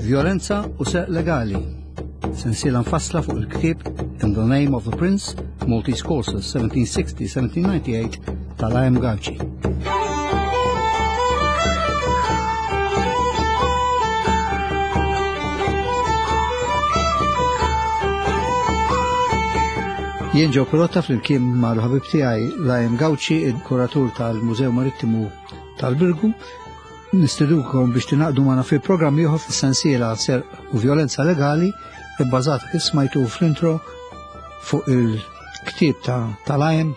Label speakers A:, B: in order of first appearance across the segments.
A: Violenza u Serq Legali. Sensiela mfassla fuq il-ktieb In the Name of the Prince, Maltese Courses 1760-1798 tal-A.M. Gauci. Jien Joe Pirotta flimkien mal-ħabib tiegħi Lajem Gauci, il-kuratur tal-Mużew Marittimu tal-Birgu, nistidukom biex tingħaqdu magħna fi programm ieħor fis-sensiela serq u violenza legali ibbażat kif smajtu fl-intro fuq il-ktieb ta' tal-Lajem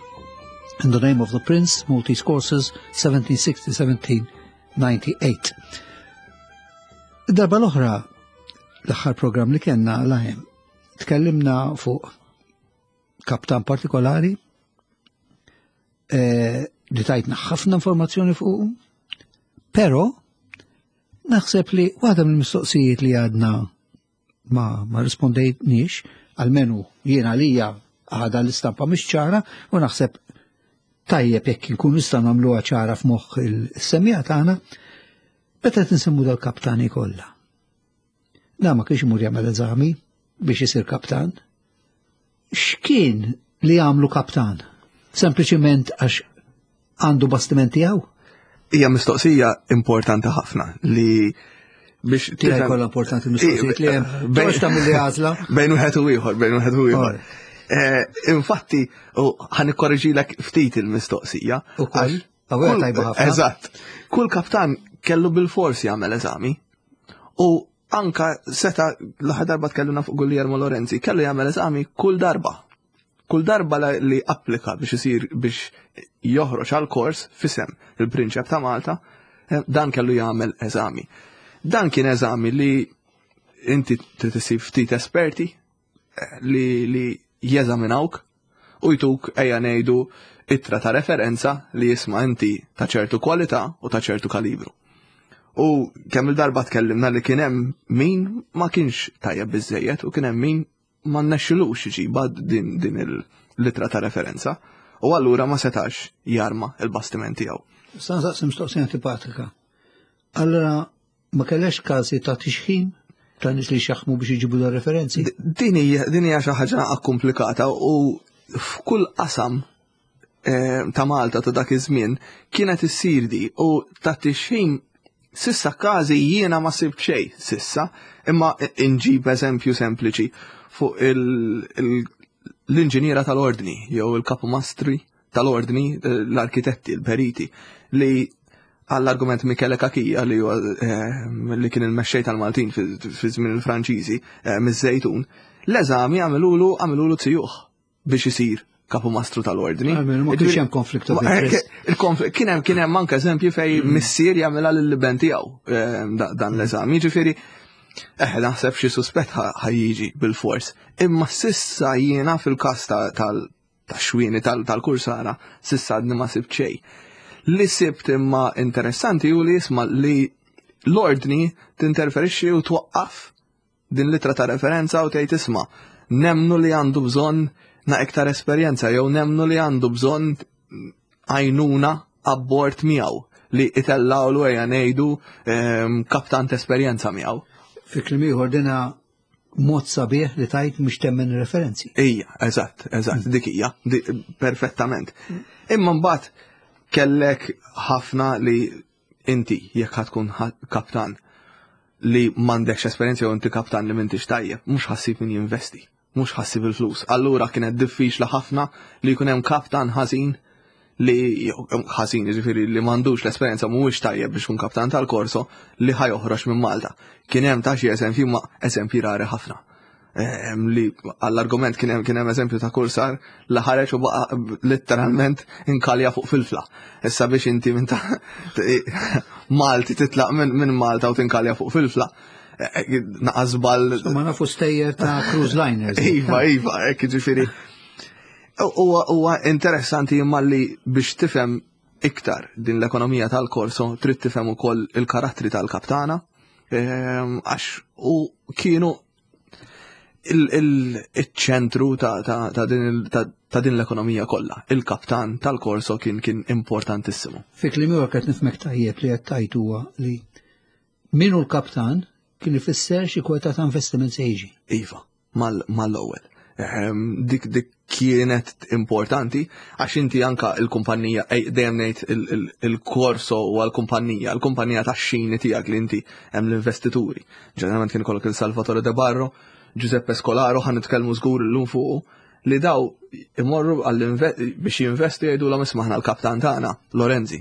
A: In the Name of the Prince, Maltese Courses 1760-1798. Darba l-oħra, l-aħħar programm li kellna Lajem, tkellimna fuq kaptan partikolari eh, li tajtna ħafna informazzjoni fuq, pero naħseb li waħda mill-mistoqsijiet li għadna ma, ma rispondejtniex, għalmenu jiena lija għada l-istampa mhix ċara u naħseb tajjeb jekk inkun nista' nagħmluha ċara f'moħħ il-semija tagħna, meta qed insemmu dal-kaptani kollha. Da ma kienx imur jagħmel eżami biex isir kaptan. X'kien li għamlu kaptan? Sempliċiment għax għandu bastiment tiegħu?
B: Hija mistoqsija importanti ħafna li biex
A: tiegħi kollha importanti mistoqsijiet li hemm. Bejn tagħmel li għażla.
B: Bejn wieħed u ieħor, bejn wieħed u ieħor. Eh, infatti, ħan ikkorreġilek ftit il-mistoqsija.
A: Ukoll, tajba ħafna.
B: Eżatt. Kull kaptan kellu bil-fors jagħmel eżami. U anka seta l-aħħar darba tkellimna fuq Guglielmo Lorenzi, kellu jagħmel eżami kull darba. Kull darba li applika biex isir biex joħroġ għal kors fisem il-Prinċep ta' Malta, eh, dan kellu jagħmel eżami. Dan kien eżami li inti trid isib ftit esperti eh, li, li jeżaminawk u jtuk ejja ngħidu ittra ta' referenza li jisma' inti ta' ċertu kwalità u ta' ċertu kalibru. U kemm il-darba tkellimna li kien hemm min ma kienx tajjeb biżejjed u kien hemm min ma nnexxilux iġibha din, din il-litra ta' referenza u allura ma setax jarma il-bastiment tiegħu.
A: Sa nsaqsi mistoqsija antipatika. Allora Ma kellekx każi ta' tixħim ta' nies li xaħmu biex iġibu da referenzi?
B: Din hija xi ħaġa komplikata u f'kull qasam eh, ta' Malta ta' dak iż-żmien kienet issir di u ta' tixħim sissa każi jiena ma sibt xejn sissa, imma inġib eżempju sempliċi fuq l-inġiniera tal-ordni jew il-kapumastri tal-ordni, eh, l-arkitetti, l-periti, li għall-argument Michele Cachia li huwa eh, li kien il-mexxej tal-Maltin fi żmien il-Franċiżi eh, miż-Żejtun, l-eżami għamilulu għamilulu zijuh biex isir kapumastru tal-ordni.
A: Ma kienx hemm konflikt of interest.
B: Kien hemm kien hemm anke eżempji fej mm. missier jagħmilha lill-liben tiegħu dan l-eżami. Jiġifieri eh naħseb xi suspett ħajjiġi bil-fors. Imma sissa jiena fil-każ tal tax-xwieni tal-kursara sissa għadni ma sibt xejn. Li sibt imma interessanti u li jisma li l-ordni tinterferixxi u twaqqaf din litra ta' referenza u tgħid isma' nemnu li għandu bżonn na iktar esperjenza jew nemnu li għandu bżonn għajnuna abbord miegħu li itellawlu ejja ngħidu ehm, kaptan esperjenza miegħu.
A: Fi kliem ieħor dina mod sabiħ li tajt mhux temmen referenzi.
B: Ija, eżatt, eżatt, mm. dik hija, perfettament. Mm. Imma mbagħad kellek ħafna li inti jekk tkun kaptan li m'għandekx esperjenza jew inti kaptan li m'intix tajjeb, mhux ħassib min jinvesti, mhux ħassib il-flus. Allura kienet diffiċli ħafna li jkun hemm kaptan ħażin li ħażin jiġifieri li m'għandux l-esperjenza mhuwiex tajjeb biex kun kaptan tal-korso li ħa joħroġ minn Malta. Kien hemm ta' xi eżempji ma eżempji rari ħafna. Ehm, li għall-argument kien hemm kien hemm eżempju ta' kursar li ħareġ u baqa' letteralment inkalja fuq filfla. Issa biex inti minn ta' Malti titlaq minn Malta u tinkalja fuq filfla. Eh, eh, naqas bal.
A: Ma nafu stejjer ta' cruise liners.
B: Iva, iva, hekk jiġifieri. Huwa interessanti imma li biex tifhem iktar din l-ekonomija tal-korso trid tifhem ukoll il-karattri tal-kaptana ehm, għax u kienu il-ċentru ta' din l-ekonomija kollha. Il-kaptan tal-korso kien kien importantissimu.
A: Fi kliem ieħor qed nifhmek tajjeb li qed tgħid huwa li min hu l-kaptan? kien ifisser xi kwota ta' investiment se jiġi.
B: Iva, mal-ewwel. Dik dik kienet importanti għax inti anka il-kumpanija dejjem ngħid il-korso u għall-kumpanija, il-kumpanija tax-xini tiegħek li inti hemm l-investituri. Ġeneralment kien ikollok il-Salvatore De Barro, Giuseppe Scolaro ħan nitkellmu żgur illum fuqu li daw imorru biex jinvestu jgħidulhom isma' aħna l-kaptan tagħna, Lorenzi.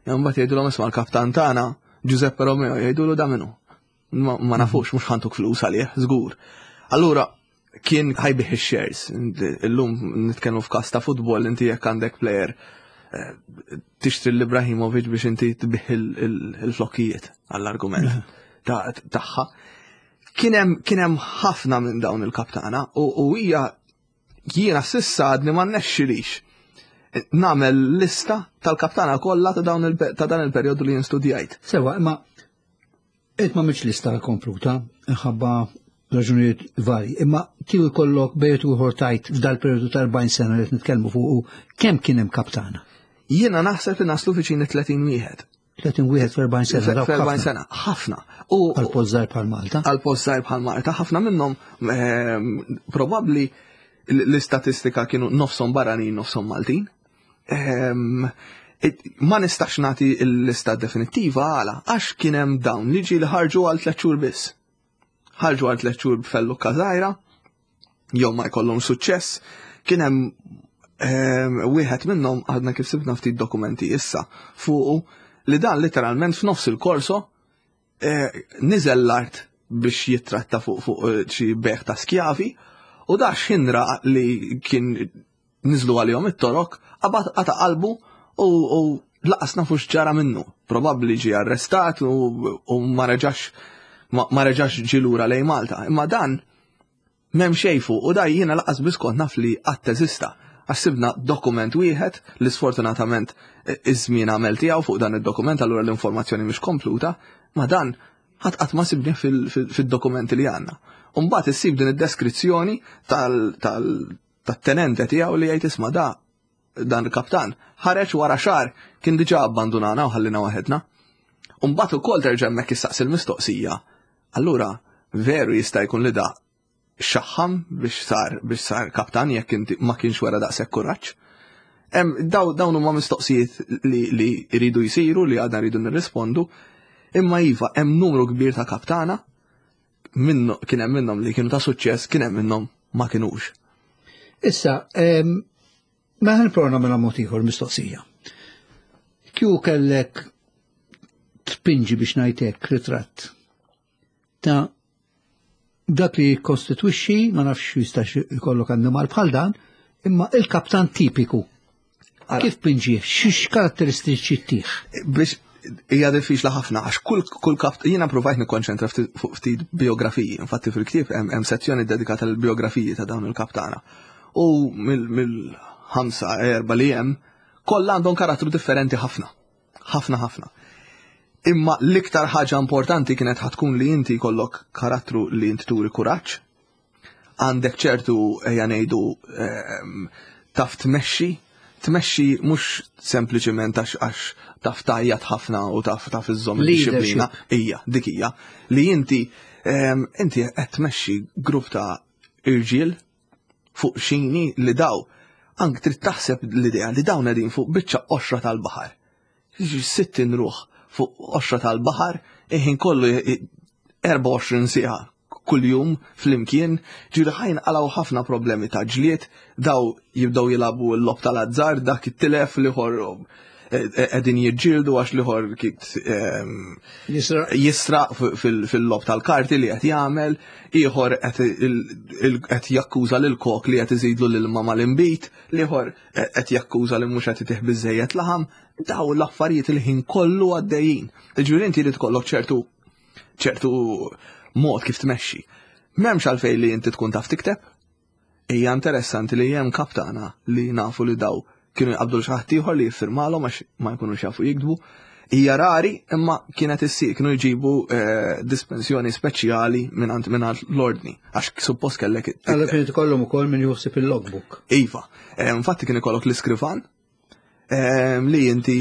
B: Imbagħad jgħidulhom isma' l-kaptan tagħna, Giuseppe Romeo, jgħidulu da minnu. Ma nafux, mhux ħantuk flus għalih, żgur. Allura kien ħajbih ix-shares. Illum nitkellmu f'każ ta' futbol inti jekk għandek player eh, tixtri l-Ibrahimovic biex inti tbih il-flokkijiet għall-argument tagħha. Kien hemm ħafna minn dawn il-kaptana u hija jiena sissa għadni ma nnexxilix nagħmel lista tal-kaptana kollha ta' dan il-perjodu li jien studjajt.
A: Sewa, imma Int ma mhix lista kompluta, minħabba raġunijiet varji, imma kieku jkollok bejt u ieħor tajt f'dal periodu ta' 40 sena li qed nitkellmu fuq kemm kien hemm kaptana?
B: Jiena naħseb li naslu viċin 30 wieħed.
A: 30 wieħed f'40 sena.
B: F'40 sena, ħafna.
A: U għal post żgħir bħal Malta.
B: Għal post żgħir bħal Malta, ħafna minnhom ehm, probabbli l-istatistika kienu nofshom barranin, nofshom Maltin. Ehm, ma nistax nagħti l-lista definittiva għala, għax kien hemm dawn li ġieli ħarġu għal tliet xhur biss. Ħarġu għal tliet xhur b'fellukka żgħira, jew ma jkollhom suċċess, kien hemm ehm, wieħed minnhom għadna kif sibna ftit dokumenti issa fuqu li dan literalment f'nofs il-korso eh, niżel l-art biex jittratta fuq fuq eh, xi beħ ta' skjavi u da xinra li kien niżlu għalihom it-torok, qabad qata' qalbu u laqas nafu x'ġara minnu. Probabbli ġie arrestat u ma reġax ma reġax ġie lura lejn Malta. Imma dan m'hemm xejn fuq u da jiena laqas biss kont naf li qatt eżista. Għax sibna dokument wieħed li sfortunatament iż-żmien għamel tiegħu fuq dan id-dokument allura l-informazzjoni mhix kompluta, ma dan ħadd qatt ma sibni fid-dokumenti li għandna. U mbagħad issib din id-deskrizzjoni tat-tenente tiegħu li jgħid isma' da dan il-kaptan ħareġ wara xahar kien diġà abbandunana u ħallina waħedna. U mbagħad ukoll terġa' hemmhekk issaqsi l-mistoqsija. Allura veru jista' jkun li da xaħam biex sar biex sar kaptan jekk inti ma kienx wara daqshekk kuraġġ. Dawn huma mistoqsijiet li, li jridu jsiru li għadna rridu nirrispondu, imma iva hemm numru kbir ta' kaptana minnu kien hemm minnhom li kienu ta' suċċess, kien hemm minnhom ma kinux.
A: Issa, ma ħan prova nagħmilha mod ieħor mistoqsija. Kju kellek tpinġi biex ngħidlek ritratt ta' dak li jikkostitwixxi, ma nafx jistax ikollok annimal bħal dan, imma il-kaptan tipiku. Kif pinġih? X'x karatteristiċi tih?
B: Biex hija diffiċli ħafna għax kull kull kap jiena provajt nikkonċentra fuq ftit biografiji. Infatti fil-ktieb hemm sezzjoni dedikata lill biografiji ta' dawn il-kaptana. U mill-ħamsa erba' li hemm kollha għandhom karattru differenti ħafna. Ħafna ħafna. Imma l-iktar ħaġa importanti kienet ħatkun li inti jkollok karattru li inti turi kuraġġ, għandek ċertu ejja ngħidu ehm, taf tmexxi, tmexxi mhux sempliċiment għax għax taf tajjat ħafna u taf taf iżżomm id-disciplina. Ija, dik hija. Li inti ehm, inti qed tmexxi grupp ta' irġiel fuq xini li daw ank trid taħseb l-idea li dawn qegħdin fuq biċċa qoxra tal-baħar. 60 ruħ fuq qoxra tal-baħar, iħin kollu 24 siegħa kuljum flimkien, ġieli ħajn għalaw ħafna problemi ta' ġlied, daw jibdew jilagħbu l-lob tal-azzar, dak it-tilef liħor qegħdin jiġġieldu għax liħor ehm, jisraq fil-lob tal-karti li qed jagħmel, ieħor qed jakkuża lil kok li qed iżidlu l-ilma mal-inbid, liħor qed jakkuża li mhux qed itih biżejjed laħam, daw l-affarijiet il-ħin kollu għaddejjin. Ġifieri inti li tkollok ċertu ċertu mod kif tmexxi. M'hemmx għalfejn li inti tkun taf tikteb. Hija interessanti li hemm kaptana li nafu li daw kienu jqabdu xi ħadd ieħor li jiffirmalhom għax ma jkunux jafu jiktbu. Hija rari imma kienet issir kienu jġibu eh, dispensjoni speċjali mingħand mingħand l-ordni għax suppost kellek.
A: Allora kien ikollhom ukoll min juħsib il-logbook.
B: Iva, eh, infatti kien ikollok l-iskrivan Ehm, li inti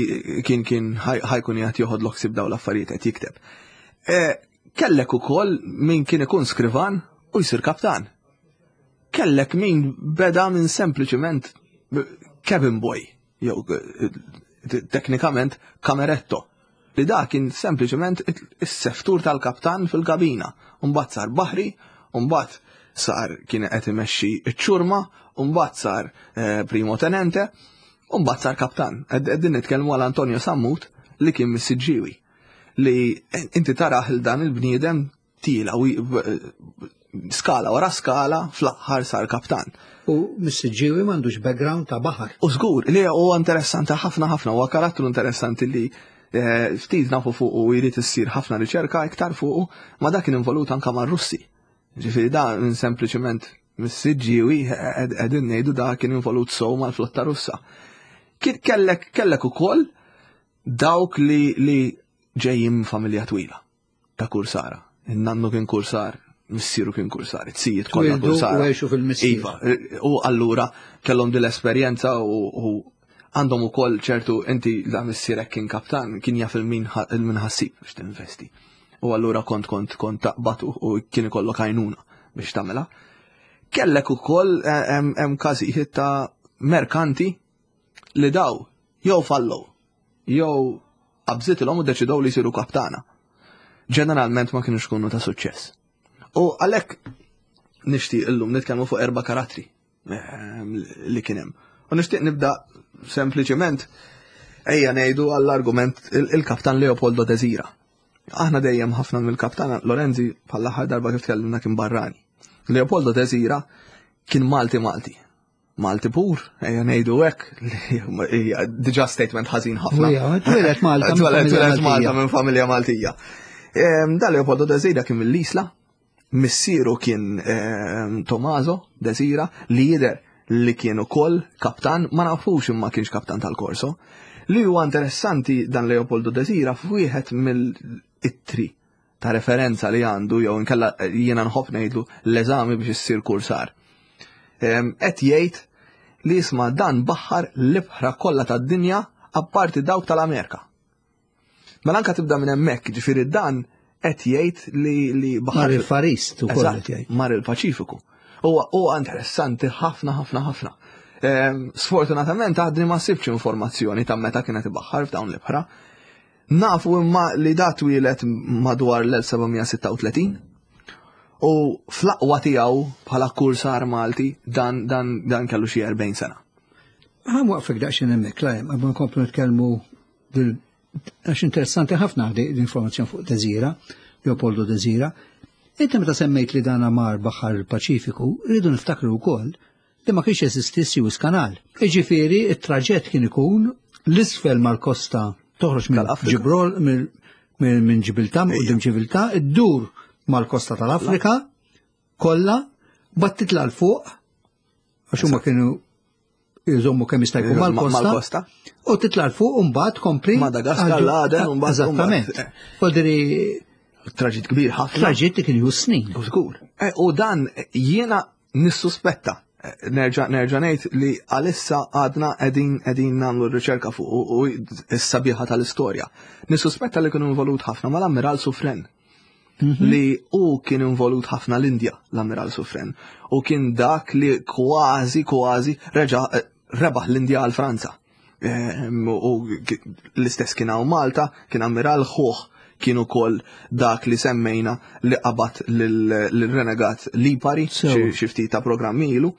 B: kien kien ħajkun jgħat joħodlok sib daw l-affarijiet qed jikteb. Eh, Kellek ukoll min kien ikun skrivan u jsir kaptan. Kellek min beda minn sempliċiment cabin boy, jew eh, teknikament kameretto, li da kien sempliċement is-seftur tal-kaptan fil-kabina. Mbagħad sar baħri, mbagħad sar kien qed imexxi ċ-ċurma, mbagħad sar eh, primo tenente, u mbagħad sar kaptan. Qegħdin nitkellmu għal Antonio Sammut li kien mis-Siġġiewi. Li inti taraħ il dan il-bniedem tila u skala wara skala fl-aħħar sar kaptan.
A: U mis-Siġġiewi m'għandux background ta' baħar.
B: U żgur li huwa interessanti ħafna ħafna, huwa karattru interessanti li eh, ftit nafu fuq u jrid issir ħafna riċerka iktar fuq, ma dak kien involut anka mar-Russi. Ġifieri da minn sempliċement mis-Siġġiewi eh, qegħdin ngħidu da kien involut sew mal-flotta Russa. Kellek kellek ukoll dawk li li ġejjin familja twila. ta' kursara. In-nannu kien kursar, missieru kien kursar, it-sijiet kollha kursara.
A: U għexu fil-missier.
B: Iva, u allura kellhom din l-esperjenza u għandhom ukoll ċertu inti la missierek kien kaptan, kien jaf il-min ħassib biex tinvesti. U allura kont kont kont taqbad u kien ikollok għajnuna biex tagħmilha. Kellek ukoll eh, hemm każijiet ta' merkanti li daw jew fallow jew qabżitilhom u ddeċidew li jsiru kaptana. Ġeneralment ma kienux kunu ta' suċċess. U għalhekk nixtieq illum nitkellmu fuq erba' karattri ehm, li kien hemm. U nixtieq nibda sempliċement ejja ngħidu għall-argument il-kaptan Leopoldo Desira. Aħna dejjem ħafna mill-kaptan Lorenzi bħall-aħħar darba kif tkellimna kien barrani. Leopoldo Desira kien Malti Malti. Malti pur, ejja ngħidu hekk, li hija diġà statement ħażin ħafna.
A: Twieled Malta.
B: Twieled Malta minn familja Maltija. Da Leopoldo Desira kien mill-Isla, missieru kien Tomaso Desira li jidher li kien ukoll kaptan, ma nafux imma kienx kaptan tal-Korso. Li huwa interessanti dan Leopoldo Desira f'wieħed mill-ittri ta' referenza li għandu jew inkella eh, jiena nħobb ngħidlu l-eżami biex issir kursar. Qed jgħid li jisma' dan baħar l-ibħra kollha tad-dinja apparti dawk tal-Amerika. Mela anka tibda minn hemmhekk, ġifieri dan qed jgħid li li
A: baħar. Mar il-Farist ukoll qed
B: jgħid. Mar il-Paċifiku. Huwa huwa interessanti ħafna ħafna ħafna. Sfortunatament għadni ma sibx informazzjoni ta' meta kienet ibaħħar f'dawn l-ibħra. Nafu imma li da twieled madwar l-1736 u fl-aqwa tiegħu bħala kursar Malti dan, dan, dan kellu xi 40 sena.
A: Għam waqfek daqsxejn hemmhekk, lajm, qabel nkomplu nitkellmu għax interessanti ħafna l-informazzjoni fuq Desira, Leopoldo Desira. Inti meta semmejt li dan mar baħar il-Paċifiku, rridu niftakru wkoll li ma kienx jeżisti Suez Canal. Jiġifieri it-traġett kien ikun l-isfel mal-kosta toħroġ minn Ġibrol minn Ġibilta, minn Ġibilta, iddur mal-kosta tal-Afrika kollha, bat titla' l fuq għax huma kienu jżommu kemm jista' jkun mal-kosta. U titla' l fuq u mbagħad kompli.
B: Madagaskar, l-Aden, u mbagħad.
A: Eżattament. Kodri
B: Traġit kbir ħafna.
A: Traġit li kien ju snin.
B: U żgur. Eh, u dan jiena Nissuspetta, nerġa' nerġa' ngħid li għalissa għadna qegħdin qegħdin nagħmlu r-riċerka fuq u s-sabiħa tal-istorja. Nissuspetta li kien involut ħafna mal-Ammiral Sufren. Mhm. Li u kien involut ħafna l-Indja, l-Ammiral Sufren. U kien dak li kważi kważi reġa' eh, rebaħ l-Indja għal Franza. Ehm, u l-istess kien hawn Malta, kien ammiral ħuh kien ukoll dak li semmejna li qabad lill-renegat Lipari xi ftit ta' programmi ilu.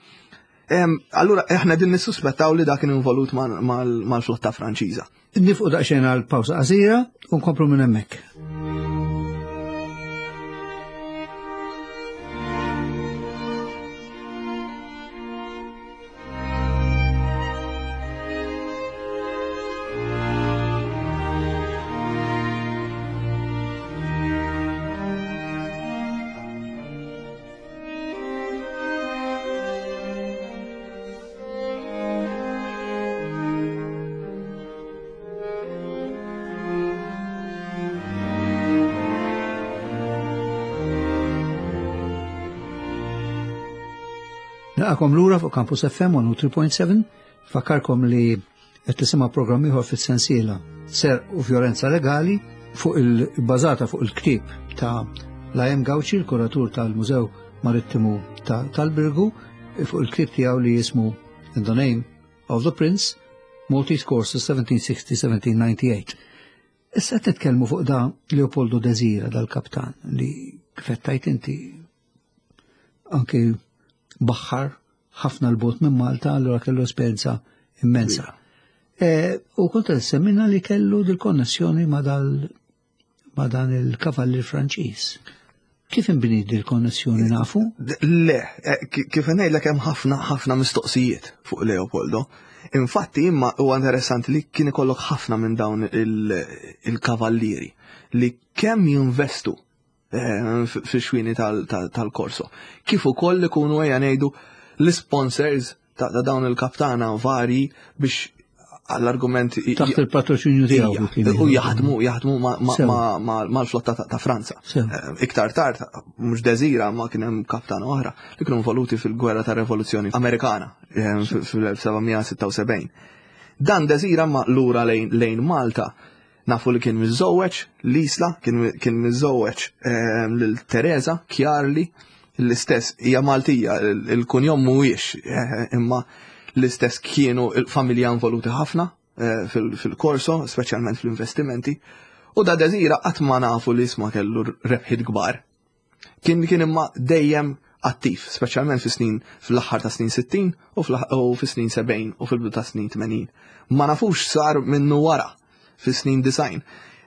B: Ehm, allura aħna din nissuspettaw li dak kien involut mal-flotta Franċiża.
A: Nifqu daqsxejn għal pawsa qasira u nkomplu minn hemmhekk. Naqakom lura fuq Campus FM 103.7, fakkarkom li qed tisimgħu programm ieħor fis-sensiela Ser u Vjolenza Legali fuq il-bażata fuq il-ktieb ta' Lajem Gauci, il-kuratur tal-Mużew Marittimu tal-Birgu, fuq il-ktieb tiegħu li jismu In the Name of the Prince, Maltese Courses 1760-1798. Issa qed nitkellmu fuq da Leopoldo Desira dal-kaptan li kif qed tgħid inti anki baħħar ħafna l-bot minn Malta, allura kellu esperjenza immensa. E, u kont qed semmina li kellu dil-konnessjoni ma' dal ma' dan il-kavallir Franċiż. Kif inbniet dil-konnessjoni nafu?
B: Le, e, kif ngħidlek hemm ħafna ħafna mistoqsijiet fuq Leopoldo. Infatti imma huwa interessanti li kien ikollok ħafna minn dawn il-kavallieri li kemm jinvestu eh, fix-xwini tal-korso. Kif ukoll ikunu ejja ngħidu l-sponsors ta' dawn il-kaptana vari biex għall-argument
A: taħt il-patroċinju tiegħu.
B: U jaħdmu jaħdmu mal-flotta ta' Franza. Eh, iktar tard mhux Desira ma kien hemm kaptana oħra li kienu involuti fil-gwerra tar-Revoluzzjoni Amerikana eh, fil-1776. Dan Desira ma lura lejn Malta Nafu li kien miżżewweġ l-Isla, kien miżżewweġ ehm, lil Teresa Kjarli, l-istess hija Maltija, il-kunjom mhuwiex eh, imma l-istess kienu il-familja involuti ħafna eh, fil-korso, speċjalment fl-investimenti. U da Desira qatt ma nafu li isma kellu rebħiet kbar. Kien kien imma dejjem attiv, speċjalment fi snin fl-aħħar ta' snin 60 u fi snin 70 u fil-bidu ta' snin 80. Ma nafux sar minnu wara fi snin 90.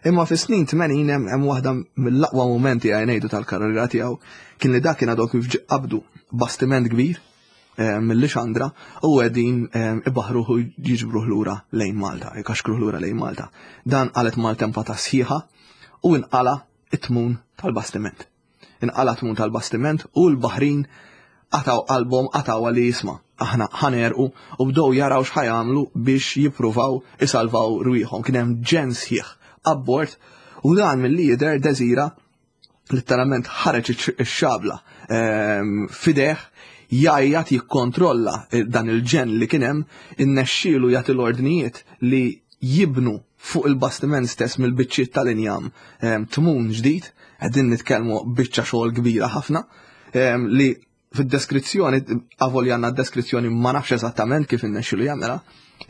B: Imma fi snin 80 hemm waħda mill-aqwa mumenti għaj ngħidu tal-karriera tiegħu kien li dak kien għadu kif qabdu bastiment kbir eh, mill-Lixandra u qegħdin eh, ibaħruh u jiġbruh lura lejn Malta, jkaxkruh lura lejn Malta. Dan qalet maltempata sħiħa u inqala it-tmun tal-bastiment. Inqala' tmun tal-bastiment u l-baħrin qatgħu qalbhom qatgħuha li isma' aħna ħa negħrqu u bdew jaraw x'ħa jagħmlu biex jippruvaw isalvaw rwieħhom. Kien hemm ġenn sħiħ abbord u dan milli jidher Desira letteralment ħareġ ix-xabla ehm, fideh jgħajjat jikkontrolla dan il-ġenn li kien hemm, innexxielu jagħti l-ordnijiet li jibnu fuq il-bastiment stess mill-biċċiet tal-injam ehm, tmun ġdid, qegħdin nitkellmu biċċa xogħol kbira ħafna ehm, li fid-deskrizzjoni, avolja għandna deskrizzjoni ma nafx eżattament kif innexxilu jagħmilha,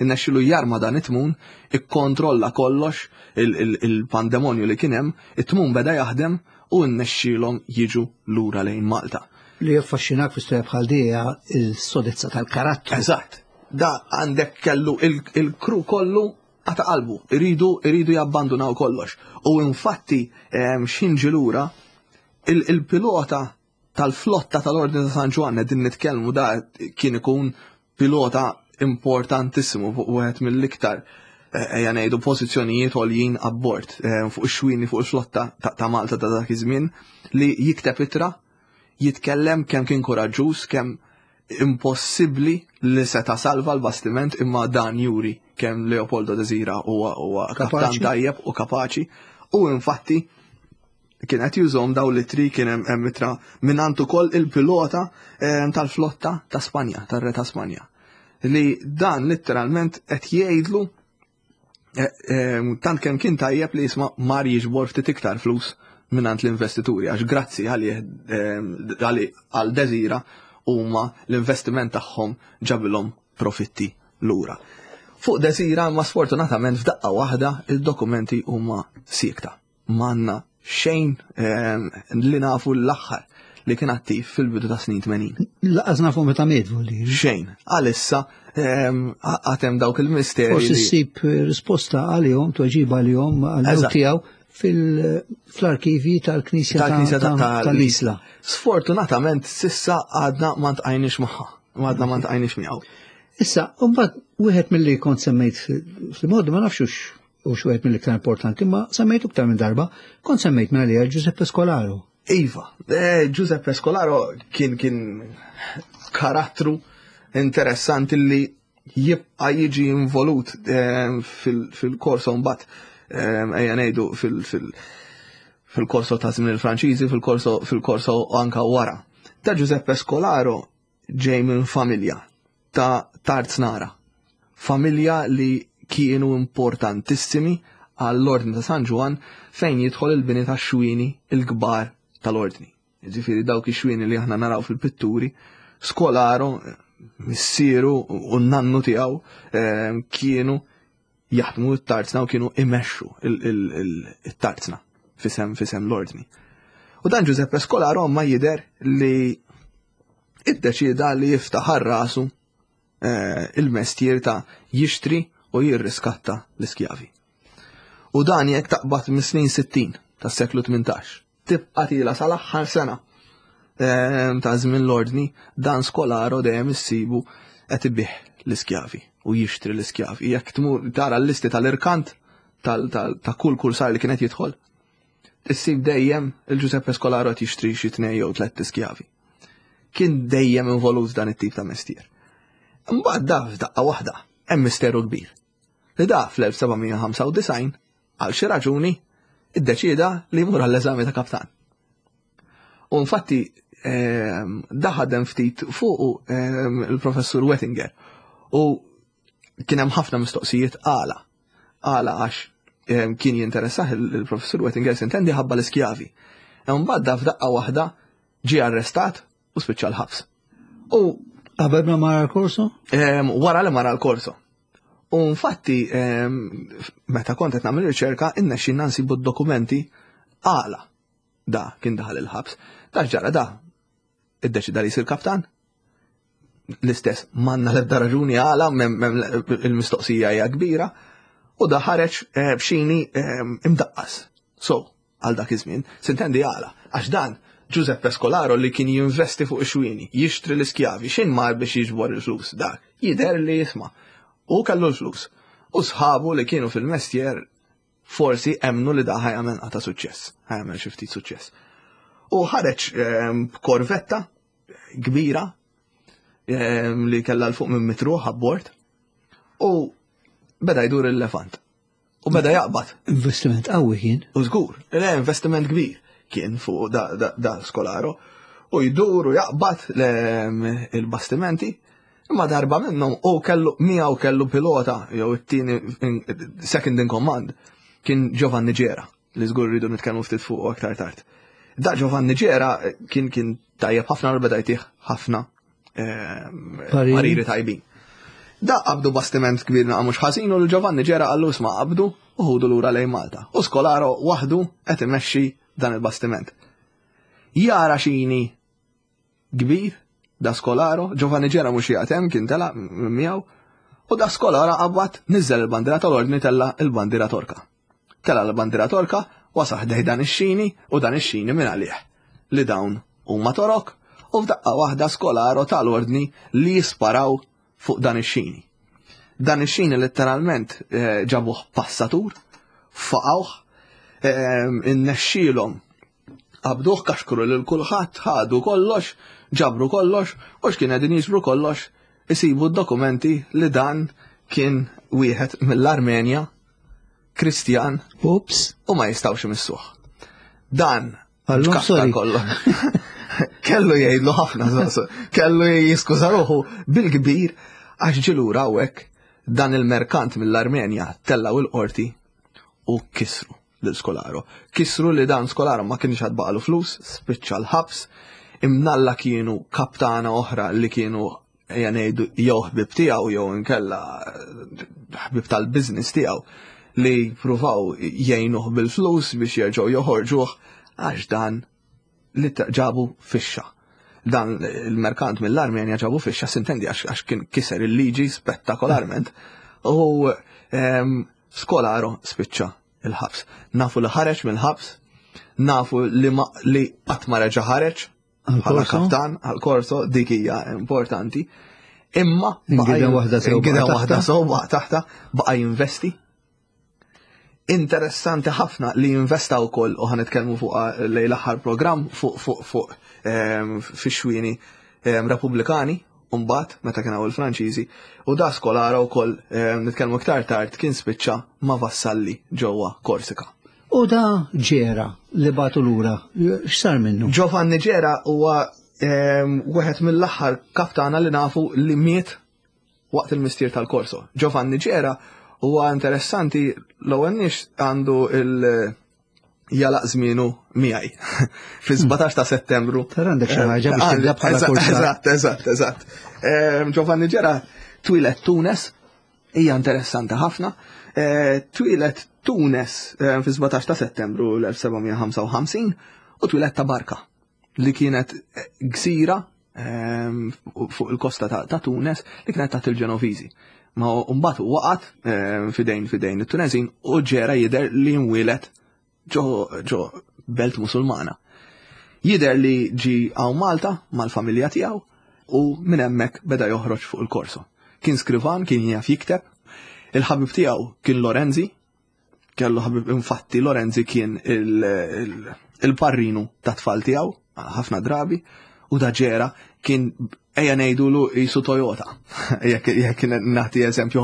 B: innexxilu jarma dan it-tmun, ikkontrolla kollox il-pandemonju li kien hemm, it-tmun beda jaħdem u nnexxielhom jiġu lura lejn Malta.
A: Li jaffaxxinak fi storja bħal dija il-sodezza tal-karattru.
B: Eżatt. Da għandek kellu il-kru kollu għata qalbu, iridu iridu jabbandunaw kollox. U infatti ehm, xinġi lura il-pilota tal-flotta tal-Ordni ta' San Ġwann din nitkellmu da kien ikun pilota importantissimu fuq wieħed mill-iktar eh, ejja ngħidu pożizzjonijiet għoljin abbord eh, fuq ix-xwini fuq il-flotta ta' Malta ta' dak iż-żmien li jikteb ittra jitkellem kemm kien kuraġġuż, kemm impossibbli li seta' salva l-bastiment imma dan juri kemm Leopoldo Desira huwa kaptan tajjeb u kapaċi u infatti kien qed jużhom daw l-ittri kien hemm ittra mingħand ukoll il-pilota eh, tal-flotta ta' Spanja, tar-re ta' Spanja. Li dan letteralment qed jgħidlu eh, eh, tant kemm kien tajjeb li jisma' mar jiġbor ftit iktar flus mingħand l-investituri għax grazzi għalih għal Desira huma l-investiment tagħhom ġabilhom profitti lura. Fuq Desira ma sfortunatament f'daqqa waħda il-dokumenti huma siekta. M'għandna xejn ehm, li nafu l-aħħar li kien attiv fil-bidu ta' snin 80.
A: Laqas nafu meta miet volli.
B: Xejn, għalissa ehm, għatem dawk il-misteri.
A: Forsi ssib risposta għalihom, tweġiba għalihom għal tiegħu fil-arkivi tal-Knisja tal-Isla.
B: Sfortunatament sissa għadna ma ntqajniex magħha, għadna ma ntqajniex miegħu.
A: Issa, mbagħad wieħed mill-li kont semmejt fil-mod ma nafxux u xi mill-iktar importanti, ma semmejtu iktar minn darba, kont semmejt minn għalija Giuseppe Scolaro.
B: Iva, eh, Giuseppe Scolaro kien kien karattru interessanti li jibqa jiġi involut eh, fil-korso mbagħad eh, ejja ngħidu fil-korso ta' żmien il-Franċiżi, fil-korso fil-korso anka wara. Ta' Giuseppe Scolaro ġej minn familja ta' Tarznara. Familja li kienu importantissimi għall-Ordni ta' San Ġwann fejn jidħol il-bini ta' xwini il-kbar tal-ordni. Ġifieri dawk ix-xwieni li aħna naraw fil-pitturi, Skolaro, missieru u n-nannu tiegħu ehm, kienu jaħdmu t-tarzna u kienu imexxu it-tarzna fisem fisem l-ordni. U dan Giuseppe Scolaro ma jider li iddeċieda li jiftaħar rasu eh, il-mestier ta' jixtri u jirriskatta l-iskjavi. U dan jekk taqbad mis-snin 60 tas-seklu 18, tibqa' tila sal-aħħar sena ehm, ta' żmien l-ordni, dan Skolaro dejjem issibu qed ibih l-iskjavi u jixtri l-iskjavi. Jekk tmur tara l-listi tal-irkant ta' kull kursar li kienet jidħol, issib dejjem il-Giuseppe Scolaro qed jixtri xi tnej jew tlett iskjavi. Kien dejjem involut dan it-tip ta' mestier. Imbagħad da f'daqqa waħda hemm misteru kbir. Li da fl-1795 għal xi raġuni iddeċieda li jmur għall-eżami ta' kaptan. U infatti ehm, da ħadem ftit fuqu ehm, il-professur Wettinger u kien hemm ħafna mistoqsijiet għala. Għala għax ehm, kien jinteressah il-professur Wettinger sintendi ħabba l-iskjavi. Imbagħad da f'daqqa waħda ġie arrestat u spiċċa l-ħabs.
A: U qabel ma mara l-korso?
B: Wara li mara l-korso. U infatti meta kont qed nagħmel riċerka innexxinna nsibu d-dokumenti għala da kien daħal il-ħabs. Da ġara da iddeċida li jsir kaptan. L-istess manna l-ebda raġuni għala il-mistoqsija hija kbira u da ħareġ eh, b'xini imdaqqas. So, għal dak iż-żmien, sintendi għala, għax dan Giuseppe Scolaro li kien jinvesti fuq ix-xwieni, jixtri l-iskjavi, x'in mar biex jiġbor il-flus dak, jidher li jisma'. U kellu l-flus. U sħabu li kienu fil-mestjer forsi emnu li da ħajamel qata suċċess, ħajamel xi ftit suċċess. U ħareġ ehm, b'korvetta kbira ehm, li kellha l fuq minn mitruħ abbord u beda jdur il-lefant. U beda jaqbad.
A: Investiment qawwi kien.
B: U żgur, le investiment kbir kien fuq da, da, da skolaro. U jdur u jaqbad il-bastimenti. Imma darba minnhom u kellu miegħu kellu pilota jew it-tieni second in command kien Giovanni Ġera li żgur rridu nitkellmu ftit fuq aktar tard. Da Giovanni Ġera kien kien tajjeb ħafna u beda jtih ħafna Ehm, pariri tajbin. Da qabdu bastiment kbir naqa mhux ħażin u l-Giovanni ġera qallu isma' qabdu u ħudu lura lejn Malta. U Skolaro waħdu qed imexxi dan il-bastiment. Jara xini kbir da Skolaro, Giovanni ġera mhux jgħatem hemm kien tela miegħu, u da Skolaro qabad niżel il-bandiera tal-ordni tella il-bandiera Torka. Tela' l-bandiera Torka, wasal ħdejh dan ix-xini u dan ix-xini minn għalih li dawn huma Torok u f'daqqa waħda Scolaro ta l-ordni li jisparaw fuq dan ix-xini. Dan ix-xini letteralment eh, ġabuh passatur, faqawh, eh, innexxielhom qabduh kaxkru lil kulħadd, ħadu kollox, ġabru kollox, u x'kien qegħdin jiġbru kollox, isibu d-dokumenti li dan kien wieħed mill-Armenja Kristjan.
A: Ups.
B: U ma jistawx imissuh. Dan
A: ġkasta
B: kollu. Kellu jgħidlu ħafna, kellu jiskuża ruħu bil-kbir għax ġilura hawnhekk dan il-merkant mill-Armenja tellaw il-qorti u kisru lil Skolaro. Kisru li dan Skolaro ma kienx għad baqalu flus, spiċċa l-ħabs, imnalla kienu kaptana oħra li kienu ejja ngħidu jew ħbib tiegħu jew inkella ħbib tal-business tiegħu li pruvaw jgħinuh bil-flus biex jerġgħu joħorġuh għax dan li ġabu fixxa. Dan il-merkant mill-Armenja ġabu fixxa sintendi għax kien kiser il-liġi spettakolarment u ehm, Skolaro spiċċa il-ħabs. Nafu li ħareġ mill-ħabs, nafu li qatt ma reġa' ħareġ, bħala kaptan għal-korso dik hija importanti. Imma
A: għida waħda sew
B: għida waħda sew taħta baqa' jinvesti. Interessanti ħafna li jinvesta wkoll u ħanitkellmu fuq eh, lejn l-aħħar programm fuq fuq fuq ehm, fix-xwieni ehm, Repubblikani mbagħad meta kien hawn il-Franċiżi u da skolara wkoll ehm, nitkellmu iktar tard kien spiċċa ma' vassalli ġewwa Korsika.
A: U da ġera li batu lura, x'sar minnu?
B: Giovanni Ġera huwa ehm, wieħed mill-aħħar kaptana li nafu li miet waqt il-mistier tal-korso. Giovanni Ġera huwa interessanti l-ewwel nix għandu il- jalaq żmienu miegħi. Fi-17 ta' Settembru.
A: Tara għandek xi ħaġa biex tibda bħala kursar.
B: Eżatt, eżatt, eżatt. Giovanni Ġera twieled Tunes, hija interessanti ħafna. Eh, twieled Tunes eh, fi-17 ta' Settembru l-1755 u twieled ta' Barka li kienet eh, gżira fuq il-kosta ta' Tunes li kienet taħt il-Ġenoviżi. Ma mbagħad waqgħet fidejn fidejn it-Tunezin u ġera jidher li nwieled ġo ġo belt Musulmana. Jidher li ġi hawn Malta mal-familja tiegħu u minn hemmhekk beda joħroġ fuq il-korso. Kien skrivan, kien jaf jikteb, il-ħabib tiegħu kien Lorenzi, kellu ħabib infatti Lorenzi kien il-parrinu ta' tfal tiegħu ħafna drabi u da ġera kien ejja ngħidulu jisu Toyota. Jekk nagħti eżempju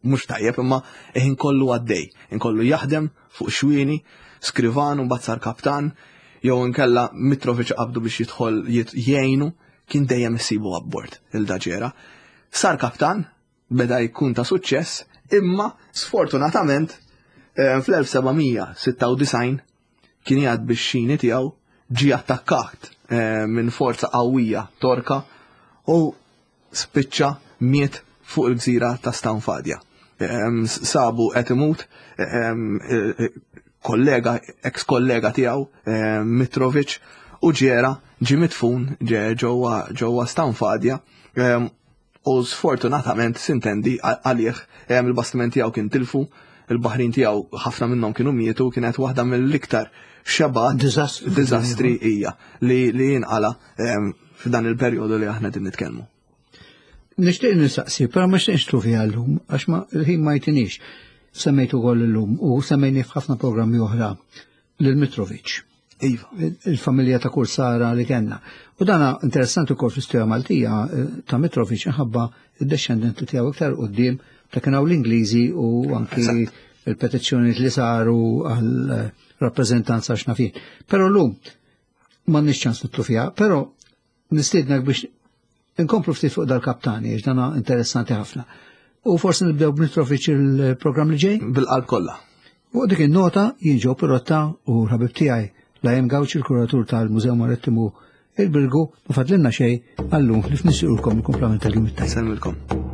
B: mhux tajjeb imma ħin kollu għaddej, inkollu jaħdem fuq xwieni, skrivan u mbagħad sar kaptan, jew inkella Mitrovic qabdu biex jidħol jgħinu, kien dejjem issibu abbord il-daġera. Sar kaptan, beda jkun ta' suċċess, imma sfortunatament eh, fl-1796 kien jgħad biex xini tiegħu ġie attakkat eh, minn forza qawwija Torka u spiċċa miet fuq il-gżira ta' Stanfadja. Sabu qed imut kollega, ex kollega tiegħu Mitrovic u ġera ġie midfun ġewwa ġewwa Stanfadja u sfortunatament sintendi għalih il-bastiment tiegħu kien tilfu, il-baħrin tiegħu ħafna minnhom kienu mietu, kienet waħda mill-iktar xebgħat diżastri hija li li jinqala f'dan il-perjodu li aħna din nitkellmu.
A: Nixtieq nistaqsi, però ma xtieqx tlu fiha llum għax ma il-ħin ma jtinix. Semmejtu ukoll illum u semmejni f'ħafna programmi oħra lil Mitrovic.
B: Iva.
A: Il-familja ta' Kursara li kellna. U dana interessanti wkoll fl-istorja Maltija eh, ta' Mitrovic inħabba id-descendenti tiegħu iktar qudiem ta' kien hawn l-Ingliżi u anki il-petizzjoni li saru għal eh, rappreżentanza x'nafin. Però llum m'għandniex ċans nitlu fiha, però nistiednek biex inkomplu ftit fuq dal-kaptani, għax dana interessanti ħafna. U forsi nibdew b'Mitrovic il-programm li ġej?
B: Bil-qalb kollha.
A: Fuq dik in-nota jien ġew Pirotta u l-ħabib tiegħi Lajem Gawċi l-kuratur tal-Mużew Marittimu il-Birgu ma fadlinna xejn għallum li fnissirulkom il-kumplament tal-jum it-tajjeb.
B: Sellmilkom.